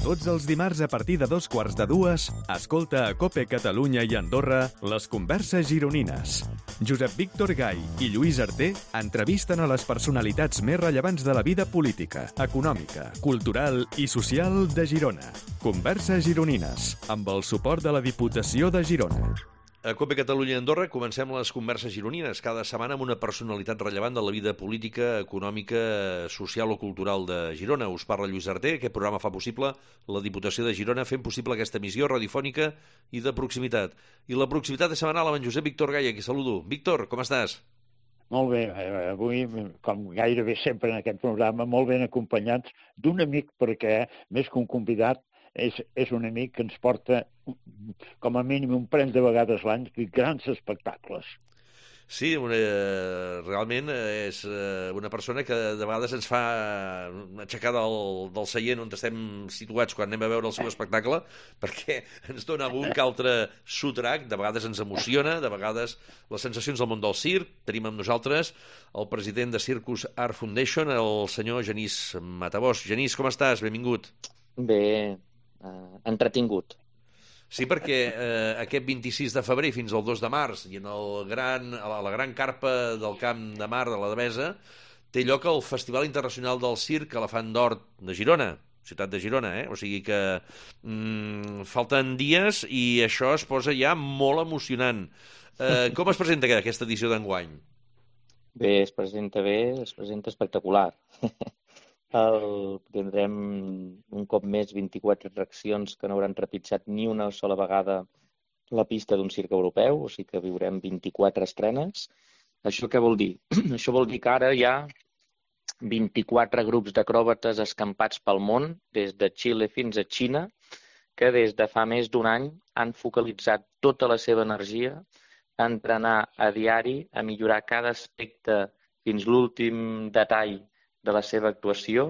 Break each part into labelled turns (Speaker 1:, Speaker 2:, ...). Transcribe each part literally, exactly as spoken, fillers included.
Speaker 1: Tots els dimarts a partir de dos quarts de dues, escolta a COPE Catalunya i Andorra les converses gironines. Josep Víctor Gai i Lluís Arter entrevisten a les personalitats més rellevants de la vida política, econòmica, cultural i social de Girona. Converses gironines, amb el suport de la Diputació de Girona.
Speaker 2: A COPE Catalunya i Andorra comencem les converses gironines, cada setmana amb una personalitat rellevant de la vida política, econòmica, social o cultural de Girona. Us parla Lluís Arter. Aquest programa fa possible la Diputació de Girona, fent possible aquesta emissió radiofònica i de proximitat. I la proximitat és setmanal amb en Josep Víctor Gai, qui saludo. Víctor, com estàs?
Speaker 3: Molt bé, avui, com gairebé sempre en aquest programa, molt ben acompanyats d'un amic, perquè més que un convidat, És, és un amic que ens porta com a mínim un parell de vegades l'any grans espectacles.
Speaker 2: Sí, una, realment és una persona que de vegades ens fa aixecar del, del seient on estem situats quan anem a veure el seu espectacle, perquè ens dona algun que altre sotrac, de vegades ens emociona, de vegades les sensacions del món del circ. Tenim amb nosaltres el president de Circus Art Foundation, el senyor Genís Matabós. Genís, com estàs? Benvingut.
Speaker 4: Bé, Uh, entretingut.
Speaker 2: Sí, perquè eh, aquest vint-i-sis de febrer fins al dos de març i en el gran, a la gran carpa del Camp de Mar de la Devesa té lloc el Festival Internacional del Circ Elefant d'Or de Girona, ciutat de Girona, eh? O sigui que mm, falten dies i això es posa ja molt emocionant. Eh, com es presenta aquesta edició d'enguany?
Speaker 4: Bé, es presenta bé, es presenta espectacular. El, tindrem un cop més vint-i-quatre atraccions que no hauran trepitjat ni una sola vegada la pista d'un circ europeu, o sigui que viurem vint-i-quatre estrenes. Això què vol dir? Això vol dir que ara hi ha vint-i-quatre grups d'acròbates escampats pel món, des de Xile fins a Xina, que des de fa més d'un any han focalitzat tota la seva energia a entrenar a diari, a millorar cada aspecte fins l'últim detall de la seva actuació,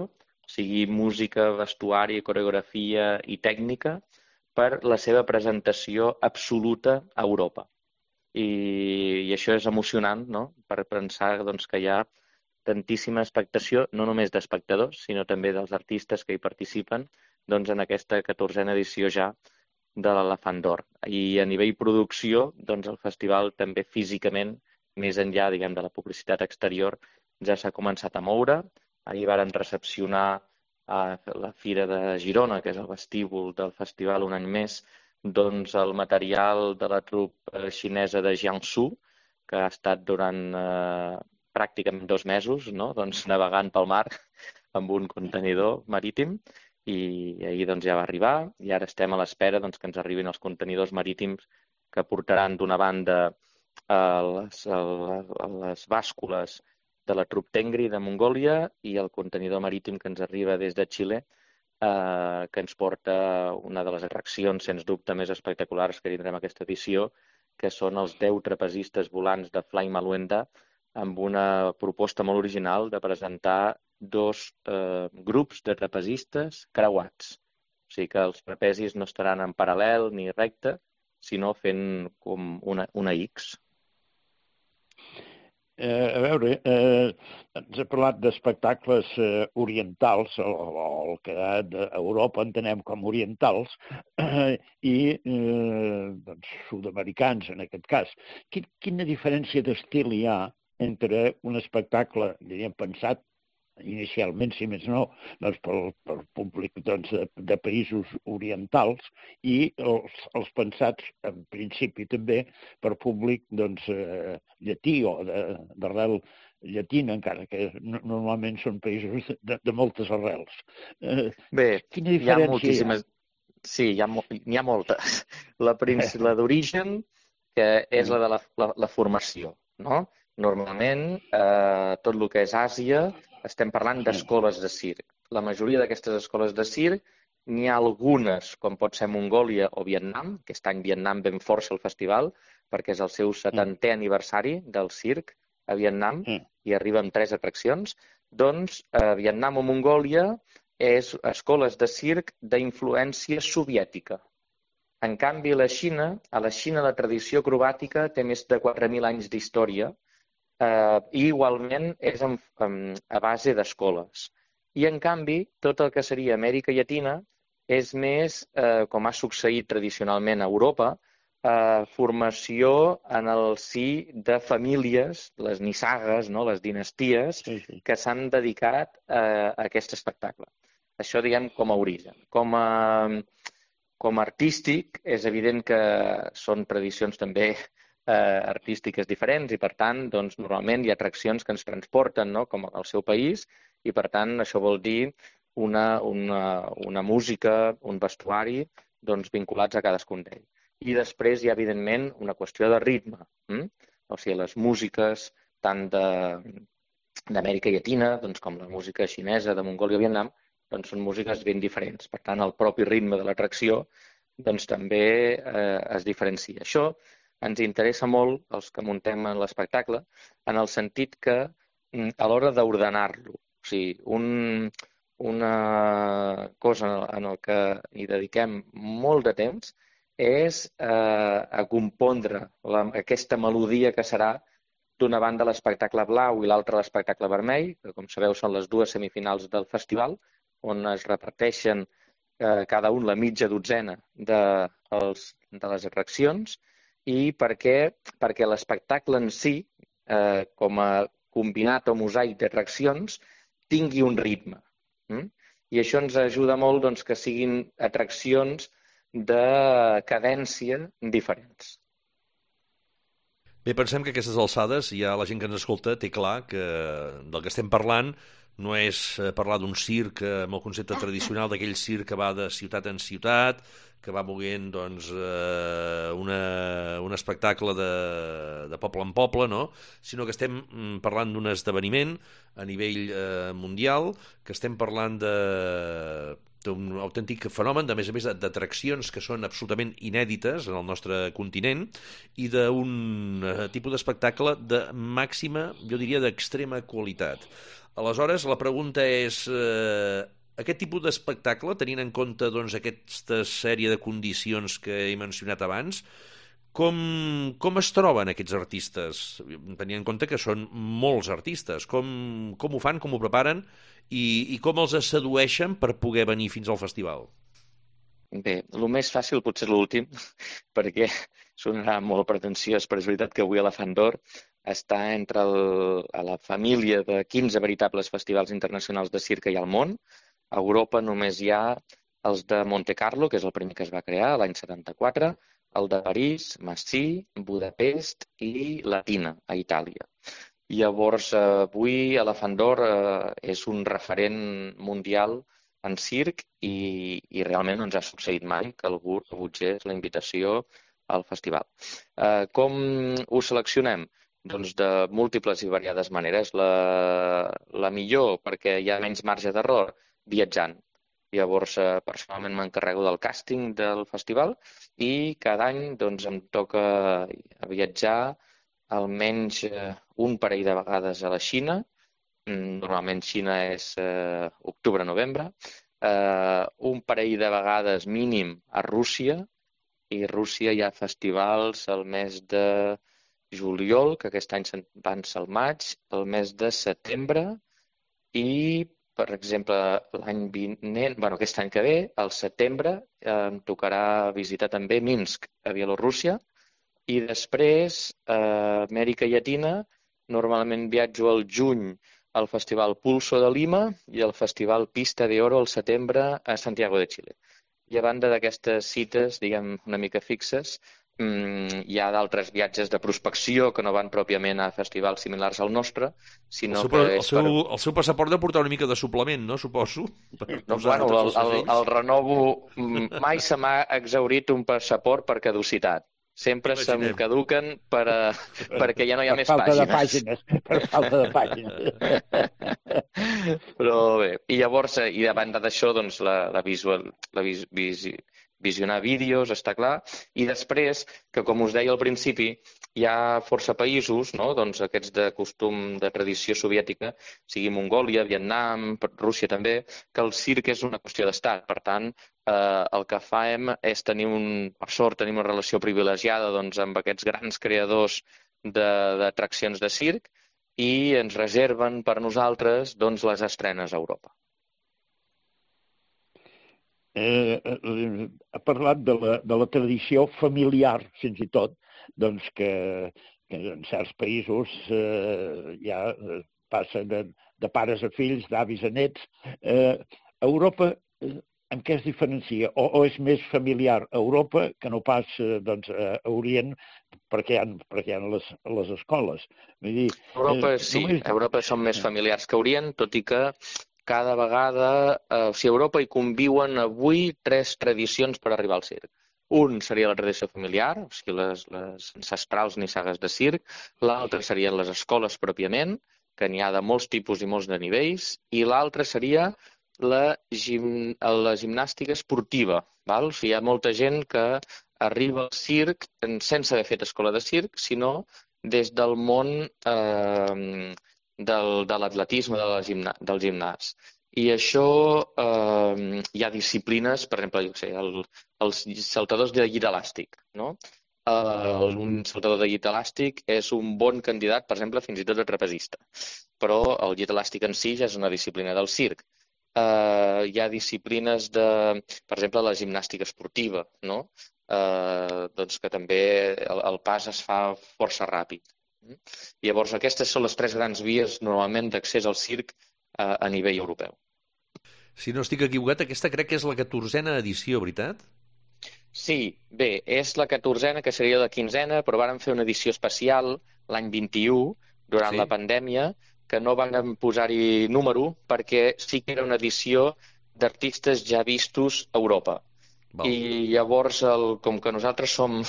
Speaker 4: sigui música, vestuari, coreografia i tècnica, per la seva presentació absoluta a Europa. I, i això és emocionant, no?, per pensar doncs, que hi ha tantíssima expectació, no només d'espectadors, sinó també dels artistes que hi participen doncs, en aquesta catorzena edició ja de l'Elefant d'Or. I a nivell producció, doncs, el festival també físicament, més enllà diguem, de la publicitat exterior, ja s'ha començat a moure. Ahir varen recepcionar a la Fira de Girona, que és el vestíbul del festival un any més, doncs el material de la trupa xinesa de Jiangsu, que ha estat durant eh, pràcticament dos mesos, no? doncs, navegant pel mar amb un contenidor marítim, i ahir doncs, ja va arribar, i ara estem a l'espera doncs, que ens arribin els contenidors marítims que portaran d'una banda a les, a les bàscules de la trup Tengri de Mongòlia i el contenidor marítim que ens arriba des de Xile, eh, que ens porta una de les atraccions, sens dubte, més espectaculars que tindrem aquesta edició, que són els deu trapezistes volants de Fly Maluenda, amb una proposta molt original de presentar dos eh, grups de trapezistes creuats. O sigui que els trapezis no estaran en paral·lel ni recte, sinó fent com una, una X.
Speaker 3: Eh, a veure, eh, ens ha parlat d'espectacles eh, orientals, o, o el que d'Europa entenem com orientals, eh, i eh, doncs, sud-americans, en aquest cas. Quin, quina diferència d'estil hi ha entre un espectacle, diríem, pensat inicialment, si més no, doncs, pel, pel públic doncs, de, de països orientals i els, els pensats, en principi també, per públic doncs, eh, llatí o d'arrel llatina, encara que no, normalment són països de, de moltes arrels. Eh,
Speaker 4: Bé,
Speaker 3: quina diferència
Speaker 4: hi ha moltíssimes... Sí, hi ha, hi ha moltes. La, la d'origen, que és la de la, la, la formació, no? Normalment, eh, tot el que és Àsia, estem parlant d'escoles de circ. La majoria d'aquestes escoles de circ, n'hi ha algunes, com pot ser Mongòlia o Vietnam, que aquest any Vietnam ben força el festival, perquè és el seu setantè aniversari del circ a Vietnam, i arriba amb tres atraccions. Doncs eh, Vietnam o Mongòlia és escoles de circ d'influència soviètica. En canvi, la Xina, a la Xina la tradició acrobàtica té més de quatre mil anys d'història, eh, i igualment és en, en, a base d'escoles. I en canvi, tot el que seria Amèrica Llatina és més, eh, com ha succeït tradicionalment a Europa, eh, formació en el si de famílies, les nissagues, no? Les dinasties,
Speaker 3: Sí, sí.
Speaker 4: que s'han dedicat eh, a aquest espectacle. Això, diguem, com a origen. Com a, com a artístic, és evident que són tradicions també eh, artístiques diferents i, per tant, doncs, normalment hi ha atraccions que ens transporten, no? Com al seu país, i, per tant, això vol dir una, una, una música, un vestuari, doncs, vinculats a cadascun d'ells. I després hi ha, evidentment, una qüestió de ritme. Hm? O sigui, les músiques tant d'Amèrica Llatina, doncs, com la música xinesa, de Mongòlia o Vietnam, doncs són músiques ben diferents. Per tant, el propi ritme de l'atracció doncs, també eh, es diferencia. Això ens interessa molt, els que muntem en l'espectacle, en el sentit que a l'hora d'ordenar-lo, o sigui, un, una cosa en la que hi dediquem molt de temps és eh, a compondre la, aquesta melodia que serà d'una banda l'espectacle blau i l'altra l'espectacle vermell, que com sabeu són les dues semifinals del festival, on es reparteixen eh, cada un la mitja dotzena de, els, de les atraccions, i per què? Perquè l'espectacle en si, eh, com a combinat o mosaic d'atraccions, tingui un ritme. Mm? I això ens ajuda molt doncs, que siguin atraccions de cadència diferents.
Speaker 2: Bé, pensem que a aquestes alçades ja la gent que ens escolta té clar que del que estem parlant no és parlar d'un circ amb el concepte tradicional d'aquell circ que va de ciutat en ciutat, que va moguent doncs, eh, una, un espectacle de, de poble en poble, no? Sinó que estem parlant d'un esdeveniment a nivell eh, mundial, que estem parlant de d'un autèntic fenomen, de més a més d'atraccions que són absolutament inèdites en el nostre continent i d'un eh, tipus d'espectacle de màxima, jo diria, d'extrema qualitat. Aleshores, la pregunta és, eh, aquest tipus d'espectacle, tenint en compte doncs, aquesta sèrie de condicions que he mencionat abans, com, com es troben aquests artistes? Tenint en compte que són molts artistes. Com, com ho fan, com ho preparen i, i com els sedueixen per poder venir fins al festival?
Speaker 4: Bé, el més fàcil potser és l'últim, perquè sonarà molt pretensiós, però és veritat que avui Elefant d'Or està entre el, a la família de quinze veritables festivals internacionals de circ que hi ha al món. A Europa només hi ha els de Monte Carlo, que és el primer que es va crear l'any setanta-quatre, el de París, Massy, Budapest i Latina, a Itàlia. Llavors, avui Elefant d'Or eh, és un referent mundial en circ i, i realment no ens ha succeït mai que algú rebutgés la invitació al festival. Eh, com ho seleccionem? Doncs de múltiples i variades maneres. La, la millor, perquè hi ha menys marge d'error, viatjant. Llavors, eh, personalment m'encarrego del càsting del festival i cada any doncs, em toca viatjar almenys eh, un parell de vegades a la Xina. Normalment Xina és eh, octubre-novembre. Eh, un parell de vegades mínim a Rússia, i a Rússia hi ha festivals al mes de juliol, que aquest any van ser al maig, el mes de setembre i, per exemple, l'any vinent, bueno, aquest any que ve, al setembre, eh, em tocarà visitar també Minsk, a Bielorússia, i després, a eh, Amèrica Llatina, normalment viatjo al juny al Festival Pulso de Lima i al Festival Pista de Oro al setembre a Santiago de Chile. I a banda d'aquestes cites, diguem, una mica fixes, mmm, hi ha d'altres viatges de prospecció que no van pròpiament a festivals similars al nostre, sinó
Speaker 2: el seu,
Speaker 4: que
Speaker 2: el
Speaker 4: és
Speaker 2: seu,
Speaker 4: per...
Speaker 2: El seu passaport de portar una mica de suplement, no? Suposo.
Speaker 4: No, bueno, el, el, el renovo... Mai se m'ha exhaurit un passaport per caducitat. Sempre se'm caduquen per a, perquè ja no hi ha
Speaker 3: per
Speaker 4: més
Speaker 3: falta
Speaker 4: pàgines.
Speaker 3: De pàgines. Per falta de pàgines.
Speaker 4: Però bé, i llavors, i a banda d'això, doncs, la, la, visual, la vis, vis, visionar vídeos, està clar, i després, que com us deia al principi, hi ha força països, no? Doncs aquests de costum de tradició soviètica, sigui Mongòlia, Vietnam, Rússia també, que el circ és una qüestió d'estat. Per tant, eh, el que fem és tenir, un, per sort, tenim una relació privilegiada doncs, amb aquests grans creadors d'atraccions de, de circ i ens reserven per nosaltres doncs, les estrenes a Europa.
Speaker 3: eh, eh, ha parlat de la, de la tradició familiar, fins i tot, doncs que, que en certs països eh, ja passa de, de pares a fills, d'avis a nets. Eh, Europa, eh, en què es diferencia? O, o és més familiar a Europa que no pas eh, doncs, a Orient, perquè hi ha, perquè hi ha les, les escoles. Vull dir,
Speaker 4: Europa,
Speaker 3: eh,
Speaker 4: sí,
Speaker 3: només...
Speaker 4: a Europa són més familiars que Orient, tot i que cada vegada, eh, o sigui, a Europa hi conviuen avui tres tradicions per arribar al circ. Un seria la tradició familiar, o sigui, les, les ancestrals nissagues de circ. L'altre serien les escoles pròpiament, que n'hi ha de molts tipus i molts de nivells. I l'altre seria la, gim, la gimnàstica esportiva. Val? O sigui, hi ha molta gent que arriba al circ sense haver fet escola de circ, sinó des del món eh, del, de l'atletisme, de la gimna, del gimnàs. I això, eh, hi ha disciplines, per exemple, jo sé, el, els saltadors de llit elàstic, no? Uh, un saltador de llit elàstic és un bon candidat, per exemple, fins i tot a trapezista. Però el llit elàstic en si ja és una disciplina del circ. Uh, hi ha disciplines de, per exemple, la gimnàstica esportiva, no? Uh, doncs que també el, el pas es fa força ràpid. Llavors, aquestes són les tres grans vies normalment d'accés al circ uh, a nivell europeu.
Speaker 2: Si no estic equivocat, aquesta crec que és la catorzena edició, veritat?
Speaker 4: Sí, bé, és la catorzena, que seria la quinzena, però vàrem fer una edició especial l'any vint-i-u, durant
Speaker 2: Sí.
Speaker 4: la pandèmia, que no van posar-hi número, perquè sí que era una edició d'artistes ja vistos a Europa.
Speaker 2: Val.
Speaker 4: I llavors, el, com que nosaltres som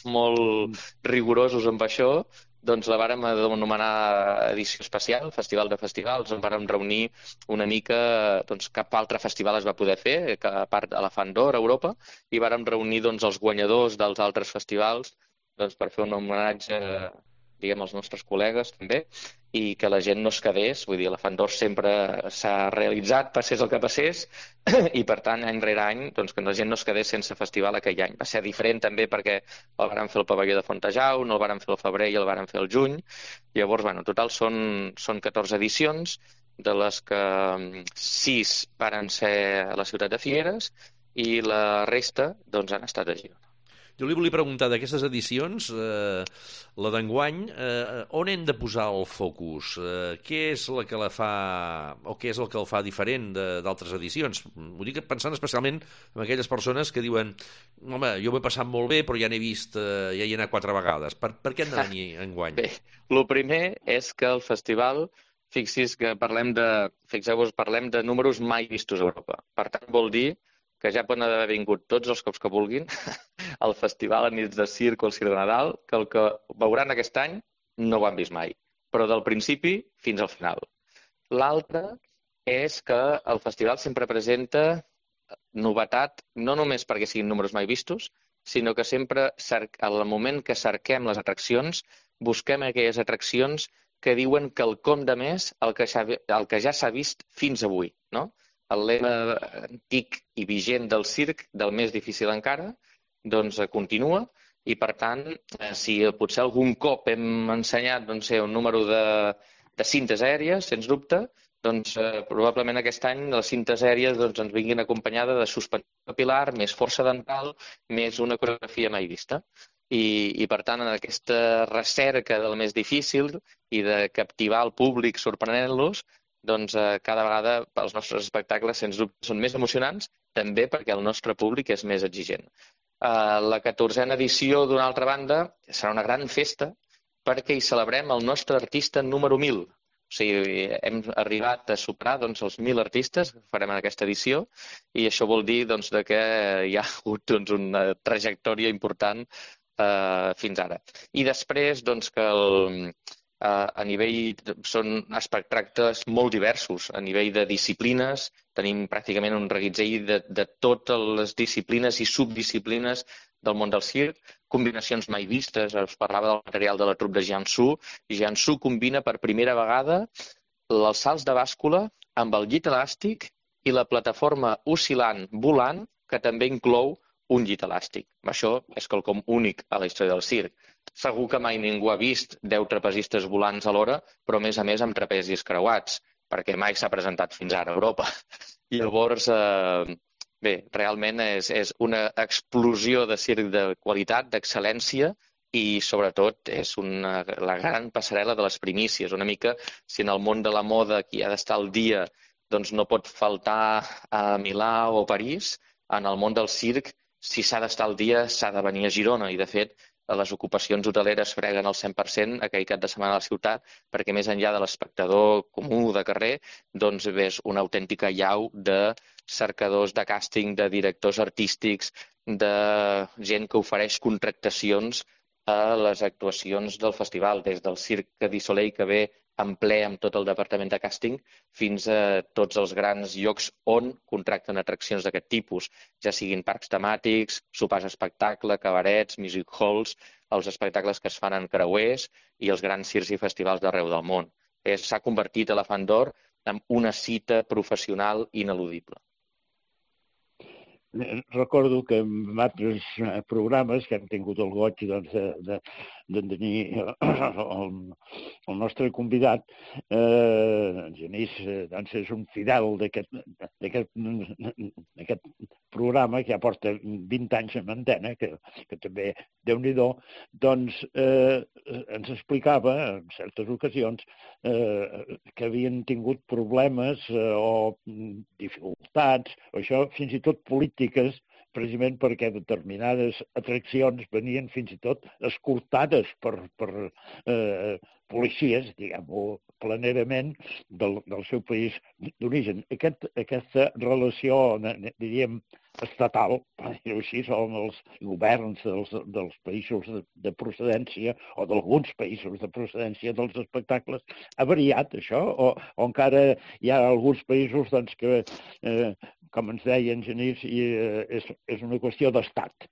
Speaker 4: molt rigorosos amb això, doncs la vàrem anomenar edició especial, Festival de Festivals, on vàrem reunir una mica, doncs cap altre festival es va poder fer, que a part de l'Elefant d'Or a Europa, i vàrem reunir doncs els guanyadors dels altres festivals doncs, per fer un homenatge, diguem, als nostres col·legues també, i que la gent no es quedés, vull dir, l'Elefant d'Or sempre s'ha realitzat, passés el que passés, i per tant, any rere any, doncs, que la gent no es quedés sense festival aquell any. Va ser diferent també perquè el vàrem fer al pavelló de Fontejau, no el vàrem fer al febrer i el vàrem fer al juny. Llavors, bueno, en total són, són catorze edicions, de les que sis varen ser a la ciutat de Figueres i la resta doncs, han estat a Girona.
Speaker 2: Jo li volia preguntar d'aquestes edicions, eh, la d'enguany, eh, on hem de posar el focus? Eh, què és la que la fa, o què és el que el fa diferent d'altres edicions? Ho dic pensant especialment en aquelles persones que diuen, home, jo ho he passat molt bé, però ja n'he vist, eh, ja hi he anat quatre vegades. Per, per què hem de venir enguany?
Speaker 4: Bé, el primer és que el festival, fixis que parlem de, fixeu-vos, parlem de números mai vistos a Europa. Per tant, vol dir que ja poden haver vingut tots els cops que vulguin al festival a nits de circ o al circ de Nadal, que el que veuran aquest any no ho han vist mai, però del principi fins al final. L'altre és que el festival sempre presenta novetat, no només perquè siguin números mai vistos, sinó que sempre, al moment que cerquem les atraccions, busquem aquelles atraccions que diuen quelcom de més el que ja, el que ja s'ha vist fins avui, no? El lema antic i vigent del circ, del més difícil encara, doncs continua i, per tant, si potser algun cop hem ensenyat doncs, un número de, de cintes aèries, sens dubte, doncs eh, probablement aquest any les cintes aèries doncs, ens vinguin acompanyades de suspensió capilar, més força dental, més una coreografia mai vista. I, i per tant, en aquesta recerca del més difícil i de captivar el públic sorprenent-los, doncs eh, cada vegada els nostres espectacles, sens dubte, són més emocionants, també perquè el nostre públic és més exigent. Uh, la catorzena edició, d'una altra banda, serà una gran festa perquè hi celebrem el nostre artista número mil. O sigui, hem arribat a superar doncs, els mil artistes que farem en aquesta edició i això vol dir doncs, de que hi ha hagut doncs, una trajectòria important uh, fins ara. I després doncs, que el... Uh, a nivell, són espectacles molt diversos, a nivell de disciplines, tenim pràcticament un reguitzell de, de totes les disciplines i subdisciplines del món del circ, combinacions mai vistes, us parlava del material de la trup de Jiangsu, i Jiangsu combina per primera vegada els salts de bàscula amb el llit elàstic i la plataforma oscil·lant volant, que també inclou un llit elàstic. Això és quelcom únic a la història del circ. Segur que mai ningú ha vist deu trapezistes volants alhora, però a més a més amb trapezis creuats, perquè mai s'ha presentat fins ara a Europa. I llavors, eh, Bé, realment és, és una explosió de circ de qualitat, d'excel·lència, i sobretot és una, la gran passarel·la de les primícies. Una mica, si en el món de la moda qui ha d'estar al dia doncs no pot faltar a Milà o París, en el món del circ, si s'ha d'estar al dia, s'ha de venir a Girona. I, de fet, les ocupacions hoteleres freguen el cent per cent aquell cap de setmana a la ciutat, perquè més enllà de l'espectador comú de carrer, doncs ves una autèntica llau de cercadors de càsting, de directors artístics, de gent que ofereix contractacions a les actuacions del festival, des del Cirque du Soleil, que ve en ple amb tot el departament de càsting, fins a tots els grans llocs on contracten atraccions d'aquest tipus, ja siguin parcs temàtics, sopars espectacle, cabarets, music halls, els espectacles que es fan en creuers i els grans circs i festivals d'arreu del món. S'ha convertit Elefant d'Or en una cita professional ineludible.
Speaker 3: Recordo que en altres programes que hem tingut el goig doncs, de, de, de tenir el, el nostre convidat, eh, Genís, doncs és un fidel d'aquest programa que ja porta vint anys en antena, que, que també, Déu-n'hi-do, doncs eh, ens explicava en certes ocasions eh, que havien tingut problemes eh, o dificultats, o això fins i tot polítiques, precisament perquè determinades atraccions venien fins i tot escortades per, per eh, policies, diguem-ho planerament, del, del seu país d'origen. Aquest, aquesta relació, diríem, estatal, així són els governs dels, dels països de, de procedència o d'alguns països de procedència dels espectacles, ha variat això? O, o encara hi ha alguns països doncs, que, eh, com ens deien, Genís, i, eh, és, és una qüestió d'estat?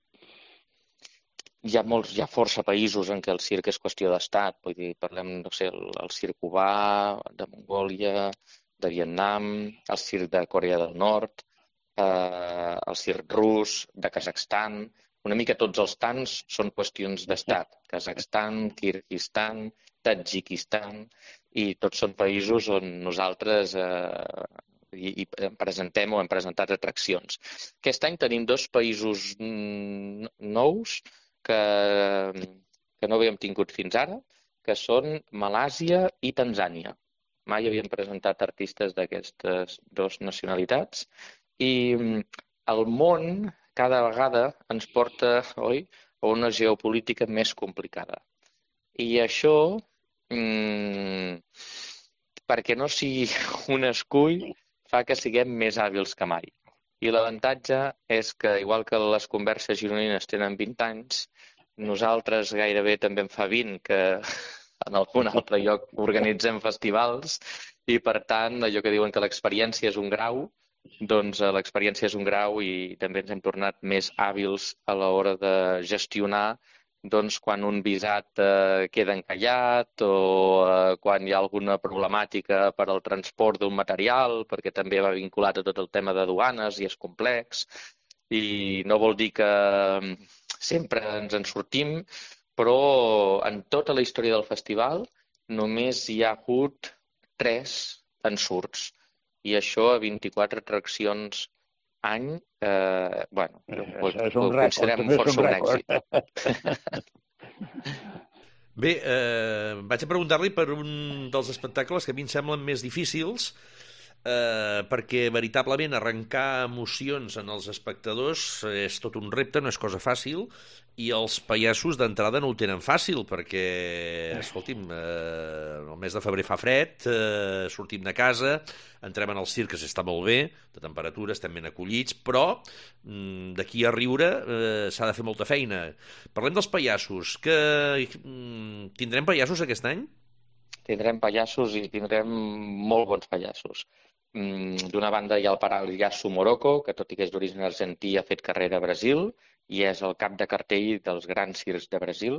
Speaker 4: Hi ha molts, hi ha força països en què el circ és qüestió d'estat. Vull dir, parlem, no sé, el, el circ cubà, de Mongòlia, de Vietnam, el circ de Corea del Nord, eh, el circ rus, de Kazakhstan. Una mica tots els tants són qüestions d'estat. Kazakhstan, Kirguistan, Tadjikistan, i tots són països on nosaltres eh, i, i presentem o hem presentat atraccions. Aquest any tenim dos països nous que, que no havíem tingut fins ara, que són Malàsia i Tanzània. Mai havíem presentat artistes d'aquestes dues nacionalitats i el món cada vegada ens porta, oi, a una geopolítica més complicada. I això, mmm, perquè no sigui un escull, fa que siguem més hàbils que mai. I l'avantatge és que, igual que les converses gironines tenen vint anys, nosaltres gairebé també en fa vint, que en algun altre lloc organitzem festivals, i per tant, allò que diuen que l'experiència és un grau, doncs l'experiència és un grau i també ens hem tornat més hàbils a l'hora de gestionar doncs, quan un visat eh, queda encallat o eh, quan hi ha alguna problemàtica per al transport d'un material, perquè també va vinculat a tot el tema de duanes i és complex. I no vol dir que sempre ens en sortim, però en tota la història del festival només hi ha hagut tres ensurts. I això a vint-i-quatre atraccions any, eh, bueno, ho,
Speaker 3: és
Speaker 4: ho
Speaker 3: un rècord,
Speaker 4: considerem força un èxit.
Speaker 2: Bé, eh, vaig a preguntar-li per un dels espectacles que a mi em semblen més difícils, eh, perquè veritablement arrencar emocions en els espectadors és tot un repte, no és cosa fàcil, i els pallassos d'entrada no ho tenen fàcil, perquè, escolti'm, eh, el mes de febrer fa fred, eh, sortim de casa, entrem en el circ, que s'està molt bé, de temperatura, estem ben acollits, però mm, d'aquí a riure eh, s'ha de fer molta feina. Parlem dels pallassos. Que, mm, tindrem pallassos aquest any?
Speaker 4: Tindrem pallassos i tindrem molt bons pallassos. D'una banda hi ha el Pallasso Morocco, que tot i que és d'origen argentí ha fet carrera a Brasil i és el cap de cartell dels grans circs de Brasil.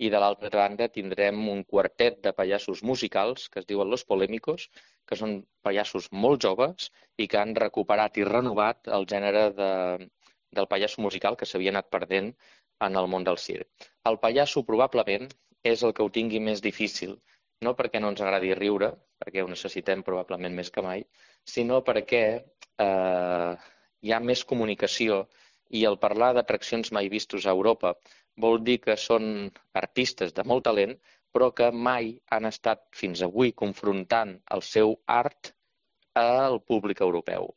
Speaker 4: I de l'altra banda tindrem un quartet de pallassos musicals que es diuen Los Polémicos, que són pallassos molt joves i que han recuperat i renovat el gènere de, del pallasso musical que s'havia anat perdent en el món del circ. El pallasso probablement és el que ho tingui més difícil, no perquè no ens agradi riure, perquè ho necessitem probablement més que mai, sinó perquè eh, hi ha més comunicació i el parlar d'atraccions mai vistos a Europa vol dir que són artistes de molt talent, però que mai han estat fins avui confrontant el seu art al públic europeu.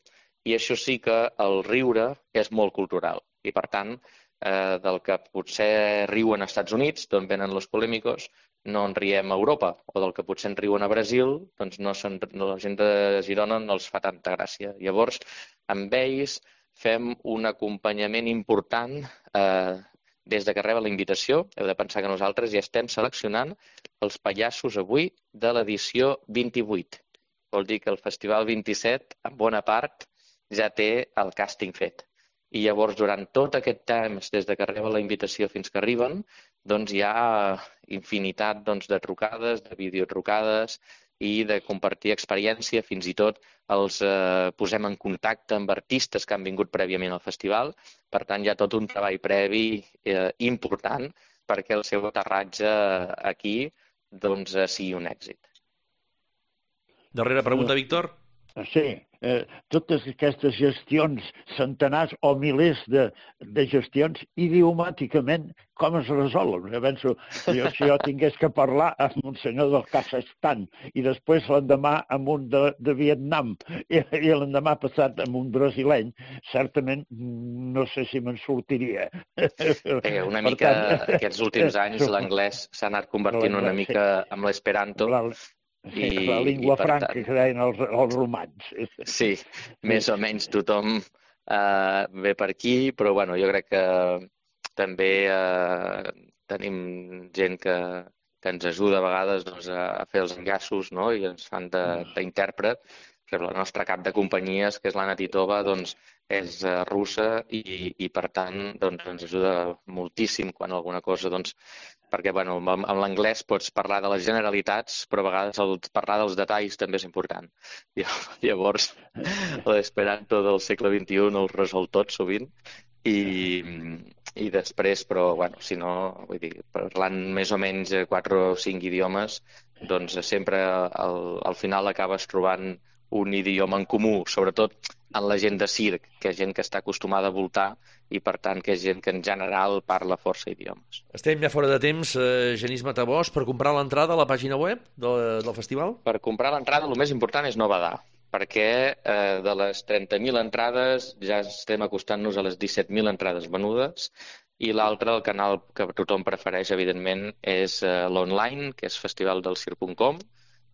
Speaker 4: I això sí que el riure és molt cultural. I, per tant, eh, del que potser riuen als Estats Units, d'on venen los polèmicos, no en riem a Europa. O del que potser en riuen a Brasil, doncs no, no, la gent de Girona no els fa tanta gràcia. Llavors, amb ells fem un acompanyament important eh, des de que reben la invitació. Heu de pensar que nosaltres ja estem seleccionant els pallassos avui de l'edició vint-i-vuit. Vol dir que el Festival vint-i-set, en bona part, ja té el càsting fet. I llavors, durant tot aquest temps, des de que reben la invitació fins que arriben, doncs hi ha infinitat doncs, de trucades, de videotrucades i de compartir experiència. Fins i tot els eh, posem en contacte amb artistes que han vingut prèviament al festival. Per tant, hi ha tot un treball previ eh, important perquè el seu aterratge aquí doncs, sigui un èxit.
Speaker 2: Darrera pregunta, Víctor.
Speaker 3: Sí, eh, totes aquestes gestions, centenars o milers de, de gestions, idiomàticament, com es resolen? Jo penso, jo, si jo tingués que parlar amb un senyor del Kazakhstan i després l'endemà amb un de, de Vietnam i, i l'endemà passat amb un brasileny, certament no sé si me'n sortiria.
Speaker 4: Eh, una mica, tant, aquests últims anys l'anglès s'ha anat convertint una mica en l'esperanto.
Speaker 3: I, la llengua franca tant, que deien els, els romans.
Speaker 4: Sí, més o menys tothom eh, ve per aquí, però bueno, jo crec que també eh, tenim gent que, que ens ajuda a vegades doncs, a fer els enllaços, no? I ens fan d'intèrpret. La nostra cap de companyies, que és l'Anna Titova, doncs, és uh, russa i, i per tant doncs, ens ajuda moltíssim quan alguna cosa, doncs, perquè bueno, amb, amb l'anglès pots parlar de les generalitats, però a vegades el, parlar dels detalls també és important. I, llavors, l'esperanto del segle vint-i-u no el resol tot sovint i, i després, però bueno, si no, vull dir, parlant més o menys quatre o cinc idiomes, doncs sempre al, al final acabes trobant un idioma en comú, sobretot en la gent de circ, que és gent que està acostumada a voltar i, per tant, que és gent que en general parla força idiomes.
Speaker 2: Estem ja fora de temps, eh, Genís Matabós, per comprar l'entrada a la pàgina web de, del festival?
Speaker 4: Per comprar l'entrada el més important és no badar, perquè eh, de les trenta mil entrades ja estem acostant-nos a les disset mil entrades venudes i l'altre, el canal que tothom prefereix, evidentment, és eh, l'online, que és festivaldelcirc punt com.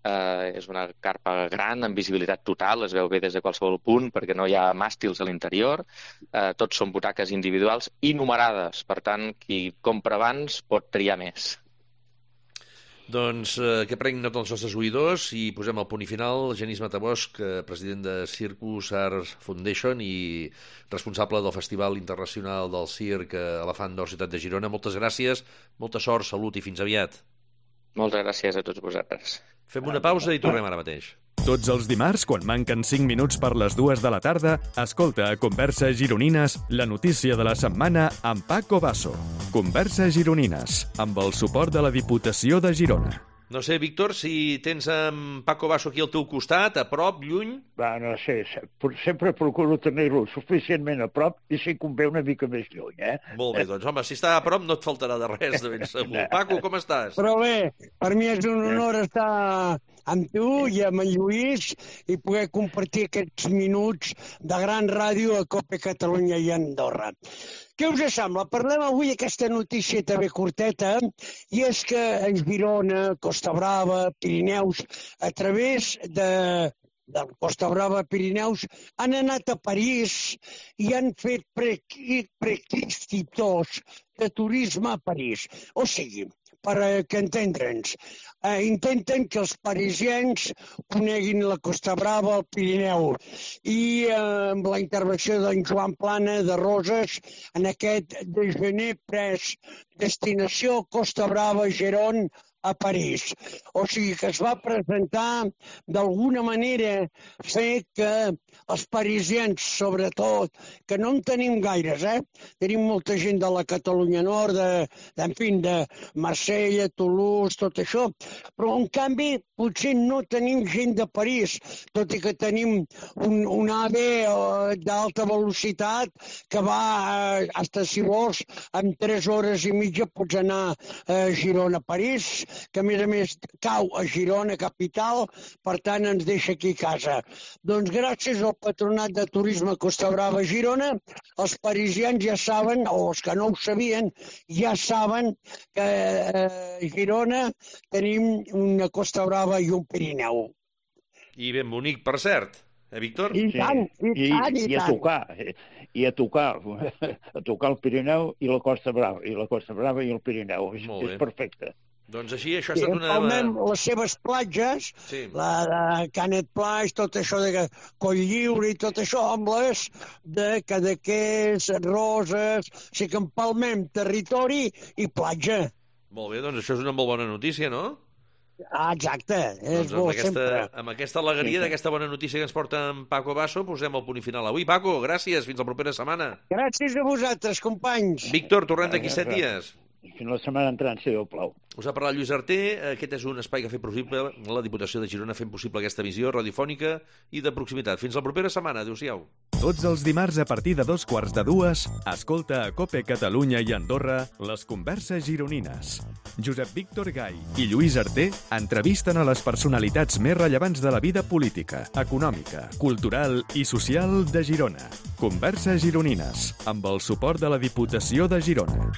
Speaker 4: Uh, és una carpa gran, amb visibilitat total, es veu bé des de qualsevol punt perquè no hi ha màstils a l'interior, uh, tots són butaques individuals i numerades, per tant, qui compra abans pot triar més.
Speaker 2: Doncs eh, que prenguin nota els nostres oïdors i posem el punt i final. Genís Matabós, president de Circus Arts Foundation i responsable del Festival Internacional del Circ Elefant d'Or Ciutat de Girona. Moltes gràcies, molta sort, salut i fins aviat.
Speaker 4: Moltes gràcies a tots vosaltres.
Speaker 2: Fem una pausa i tornem ara mateix.
Speaker 1: Tots els dimarts, quan manquen cinc minuts per les dues de la tarda, escolta a Converses Gironines la notícia de la setmana amb Paco Basso. Converses Gironines, amb el suport de la Diputació de Girona.
Speaker 2: No sé, Víctor, si tens en Paco Basso aquí al teu costat, a prop, lluny...
Speaker 3: Va, no sé, sempre procuro tenir-lo suficientment a prop i si convé una mica més lluny, eh?
Speaker 2: Molt bé, doncs, home, si està a prop no et faltarà de res, de ben segur. Paco, com estàs?
Speaker 5: Però bé, per mi és un honor estar amb tu i amb en Lluís i poder compartir aquests minuts de gran ràdio a Cope Catalunya i Andorra. Què us sembla? Parlem avui aquesta notícia també curteta, i és que en Girona, Costa Brava, Pirineus, a través de, de Costa Brava, Pirineus, han anat a París i han fet prequistitors de turisme a París. O sigui, per que entendre'ns, eh, intenten que els parisiens coneguin la Costa Brava, el Pirineu, i eh, amb la intervenció d'en Joan Plana de Roses en aquest déjeuner pres destinació Costa Brava, Gerón, a París. O sigui que es va presentar d'alguna manera fer que els parisiens, sobretot, que no en tenim gaires, eh? Tenim molta gent de la Catalunya Nord, de, de, en fi, de Marsella, Toulouse, tot això, però en canvi potser no tenim gent de París, tot i que tenim un, un AVE d'alta velocitat que va, eh, hasta si vols, en tres hores i mitja pots anar a Girona-París, que a més a més cau a Girona capital, per tant ens deixa aquí a casa. Doncs gràcies al Patronat de Turisme Costa Brava Girona, els parisians ja saben, o els que no ho sabien, ja saben que a Girona tenim una Costa Brava i un Pirineu.
Speaker 2: I ben bonic, per cert, eh, Víctor?
Speaker 5: I tant, i tant, i
Speaker 3: I a
Speaker 5: tant.
Speaker 3: tocar, i a tocar, a tocar el Pirineu i la Costa Brava, i la Costa Brava i el Pirineu. És,
Speaker 2: Molt bé.
Speaker 3: és perfecte.
Speaker 2: Doncs així, això ha
Speaker 5: Sí,
Speaker 2: estat una...
Speaker 5: empalmem les seves platges,
Speaker 2: Sí.
Speaker 5: la de Canet Plage, tot això de Coll Lliure i tot això, amb les de Cadaqués, Roses, o sigui que empalmem territori i platja.
Speaker 2: Molt bé, doncs això és una molt bona notícia, no?
Speaker 5: Ah, exacte, és
Speaker 2: Doncs amb
Speaker 5: bo
Speaker 2: aquesta,
Speaker 5: sempre.
Speaker 2: amb aquesta alegria d'aquesta bona notícia que ens porta en Paco Basso, posem el punt i final avui. Paco, gràcies, fins la propera setmana.
Speaker 5: Gràcies a vosaltres, companys.
Speaker 2: Víctor, tornem d'aquí set dies.
Speaker 3: Fins la setmana entrant, si Déu plau.
Speaker 2: Us ha parlat Lluís Arter. Aquest és un espai que ha fet possible la Diputació de Girona fent possible aquesta visió radiofònica i de proximitat. Fins la propera setmana. Adéu-siau.
Speaker 1: Tots els dimarts a partir de dos quarts de dues, escolta a COPE Catalunya i Andorra les converses gironines. Josep Víctor Gai i Lluís Arter entrevisten a les personalitats més rellevants de la vida política, econòmica, cultural i social de Girona. Converses gironines, amb el suport de la Diputació de Girona.